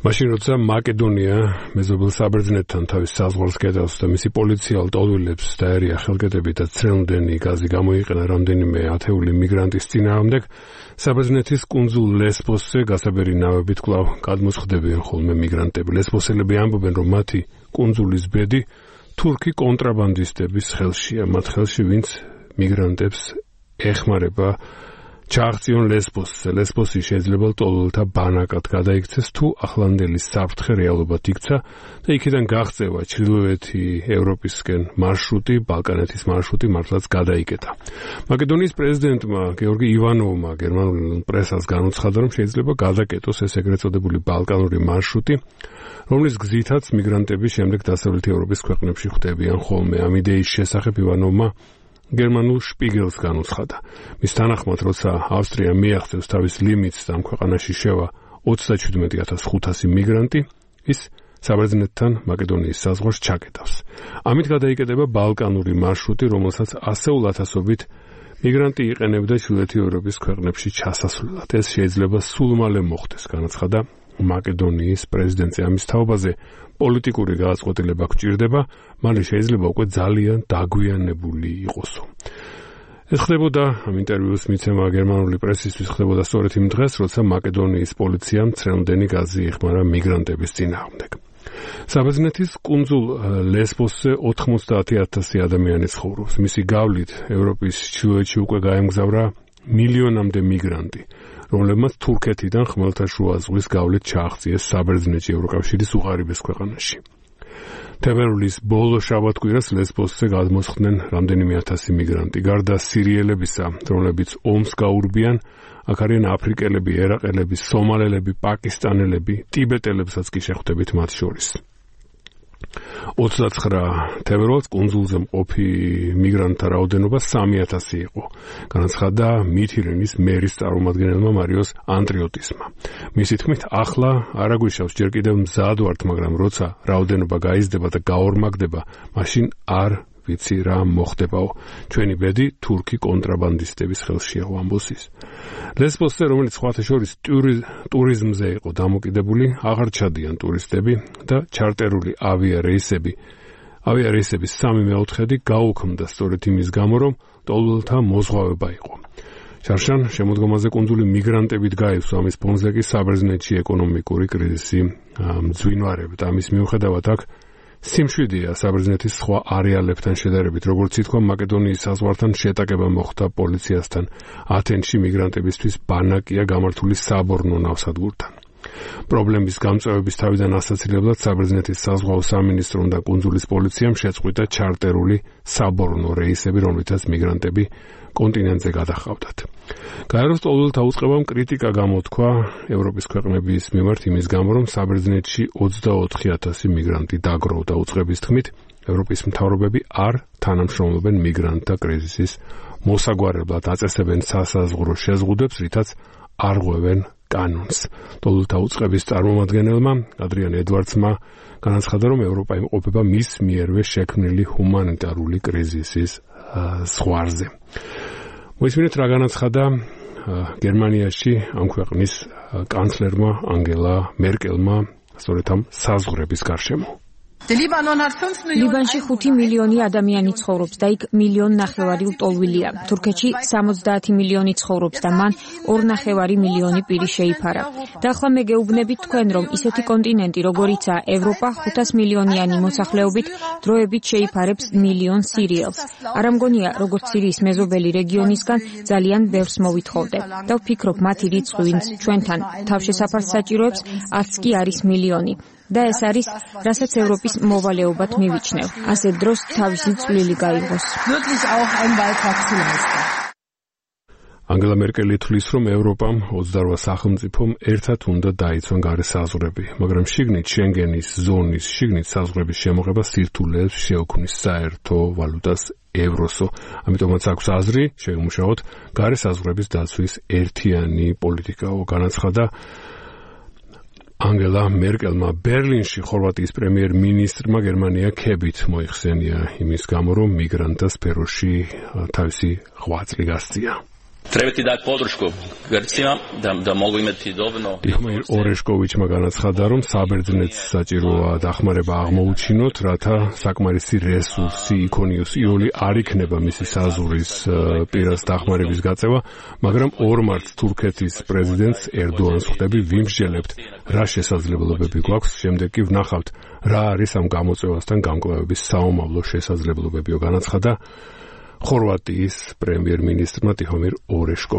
მაშინ როცა მაკედონია მეზობელ საბერძნეთთან თავის საზღვარს კედავს და მისი პოლიციელ ტოლვილებს დაერია ხელკედებით და ცრემლდენი გაზი გამოიყენა რამდენიმე ათეული მიგრანტის წინააღმდეგ, საბერძნეთის კუნძულ ლესბოსზე გასაბერი ნავებით კვლავ გადმოსხდებიან ხოლმე მიგრანტები. ლესბოსელები ამბობენ, რომ მათი კუნძულის ბედი თურქი კონტრაბანდისტების ხელშია, მათ ხელში, ვინც მიგრანტებს ეხმარება ჩააღწიონ ლესბოსზე. ლესბოსი შეიძლება ტოლვილთა ბანაკად გადაიქცეს, თუ ახლანდელი საფრთხე რეალობად იქცა და იქიდან გაღწევა ჩრდილოეთი ევროპისკენ მარშრუტი, ბალკანეთის მარშრუტი მართლაც გადაიკეტა. მაკედონიის პრეზიდენტმა გეორგი ივანოვმა გერმანულ პრესას განუცხადა, რომ შეიძლება გადაკეტოს ეს ეგრეთ წოდებული ბალკანური მარშრუტი, რომლის გზითაც მიგრანტები შემდეგ დასავლეთ ევროპის ქვეყნებში ხვდებიან ხოლმე. ამ იდეის შესახებ ივანოვმა გერმანულ შპიგელს განუცხადა. მის თანახმად, როცა ავსტრია მიაღწევს თავის ლიმიტს და ამ ქვეყანაში შევა 37,500 მიგრანტი, ის საბერძნეთთან მაკედონიის საზღვარს ჩაკეტავს. ამით გადაიკეტება ბალკანური მარშრუტი, რომელსაც ასეულ ათასობით მიგრანტი იყენებდა ჩრდილოეთი ევროპის ქვეყნებში ჩასასვლელად. ეს შეიძლება სულ მალე მოხდეს, განაცხადა მაკედონიის პრეზიდენტი. ამის თაობაზე პოლიტიკური გადაწყვეტილება გვჭირდება, მალე შეიძლება უკვე ძალიან დაგვიანებული იყოსო. ეს ხდებოდა ამ ინტერვიუს მიცემა გერმანული პრესისთვის ხდებოდა სწორედ იმ დღეს, როცა მაკედონიის პოლიციამ ცრემლდენი გაზი იხმარა მიგრანტების წინააღმდეგ. საბერძნეთის კუნძულ ლესბოსზე 90,000 ადამიანი ცხოვრობს. მისი გავლით ევროპის ჩრდილოეთში უკვე გაემგზავრა მილიონამდე მიგრანტი, რომლებმაც თურქეთიდან ხმელთაშუა ზღვის გავლით ჩააღწიეს საბერძნეთში, ევროკავშირის უღარიბეს ქვეყანაში. თებერვლის ბოლო შაბათ-კვირას ლესბოსზე გადმოსხდნენ რამდენიმე ათასი მიგრანტი. გარდა სირიელებისა, რომლებიც ომს გაურბიან, აქ არიან აფრიკელები, ერაყელები, სომალელები, პაკისტანელები, ტიბეტელებსაც კი შეხვდებით მათ შორის. 29 თებერვალს კუნძულზე მყოფი მიგრანტთა რაოდენობა 3,000 იყო, განაცხადა მითირენის მერის წარმომადგენელმა მარიოს ანტრიოტისმა. მისი თქმით, ახლა არ აგვიშავს, ჯერ კიდევ მზად ვართ, მაგრამ როცა რაოდენობა გაიზრდება და გაორმაგდება, მაშინ არ ვიცი რა მოხდებაო. ჩვენი ბედი თურქი კონტრაბანდისტების ხელშია, ამბობს ის. ლესბოსზე, რომელიც სხვათა შორის ტურიზმზე იყო დამოკიდებული, აღარ ჩადიან ტურისტები და ჩარტერული ავიარეისების 3/4 გაუქმდა სწორედ იმის გამო, რომ ტოლვილთა მოზღვავება იყო. შარშან შემოდგომაზე კუნძული მიგრანტებით გაივსო, ამის ფონზე კი საბერძნეთში ეკონომიკური კრიზისი მძვინვარებდა. ამის მიუხედავად აქ სიმშვიდეა საბერძნეთის სხვა არეალებთან შედარებით, როგორც ითქვა, მაკედონიის საზღვართან შეტაკება მოხდა პოლიციასთან. ათენში მიგრანტებისთვის ბანაკია გამართული საბორნო ნავსადგურთან. პრობლემის გამწვევების თავიდან ასაცილებლად საბერძნეთის საზღვაო სამინისტრომ და კუნძულის პოლიციამ შეწყვიტა ჩარტერული საბორნო რეისები, რომლითაც მიგრანტები კონტინენტზე გადაჰყავდათ. გაეროს ტოლვილთა უწყებამ კრიტიკა გამოთქვა ევროპის ქვეყნების მიმართ იმის გამო, რომ საბერძნეთში 24,000 მიგრანტი დაგროვდა. უწყების თქმით, ევროპის მთავრობები არ თანამშრომლობენ მიგრანტთა კრიზისის მოსაგვარებლად, აწესებენ სასაზღვრო შეზღუდვებს, რითაც არღვევენ კანონს. ტოლვილთა უწყების წარმომადგენელმა ადრიან ედვარდსმა განაცხადა, რომ ევროპა იმყოფება მის მიერვე შექმნილი ჰუმანიტარული კრიზისის ზღვარზე. მოისმინეთ, რა განაცხადა გერმანიაში ამ ქვეყნის კანცლერმა ანგელა მერკელმა სწორედ ამ საზღვრების გარშემო. ლიბანში 5 მილიონი ადამიანი ცხოვრობს და იქ 1,5 მილიონი ლტოლვილია. თურქეთში 70 მილიონი ცხოვრობს და მან 2,5 მილიონი პირი შეიფარა. და ახლა მე გეუბნებით თქვენ, რომ ისეთი კონტინენტი, როგორიცაა ევროპა, 500 მილიონიანი მოსახლეობით დროებით შეიფარებს 1 მილიონ სირიელს. არ ამგონია, როგორც სირიის მეზობელი რეგიონისგან ძალიან ბევრს მოვითხოვდე. და ვფიქრობ, მათი რიცხვი, ვინც ჩვენთან თავშესაფარს საჭიროებს, 100 კი არის მილიონი. და ეს არის, რასაც ევროპის მოვალეობად მივიჩნევ. ასე დროს თავისი წვლილი გაიღოს. ანგელა მერკელი თვლის, რომ ევროპამ 28 სახელმწიფომ ერთად უნდა დაიცვან გარე საზღვრები, მაგრამ შიგნით შენგენის ზონის შიგნით საზღვრების შემოღება სირთულეებს შეუქმნის საერთო ვალუტას ევროსო. ამიტომაც აქვს აზრი შეიმუშაოთ გარე საზღვრების დაცვის ერთიანი პოლიტიკაო, განაცხადა ანგელა მერკელმა. ბერლინში ხორვატიის პრემიერ-მინისტრმა გერმანია ქებით მოიხსენია იმის გამო, რომ მიგრანტთა სფეროში თავისი ღვაწლი გასწია. ტიხომირ ორეშკოვიჩმა განაცხადა, რომ საბერძნეთს საჭიროა დახმარება აღმოუჩინოთ, რათა საკმარისი რესურსი იქონიოს იოლი არ იქნება მისი საზღვრის პირას დახმარების გაწევა, მაგრამ ორ მარტს თურქეთის პრეზიდენტს ერდოანს ხვდები, ვიმსჯელებთ, რა შესაძლებლობები გვაქვს, შემდეგ კი ვნახავთ, რა არის ამ გამოწვევასთან გამკლავების საომავლო შესაძლებლობებიო, განაცხადა ხორვატიის პრემიერ-მინისტრმა ტიხომირ ორეშკოვიჩმა.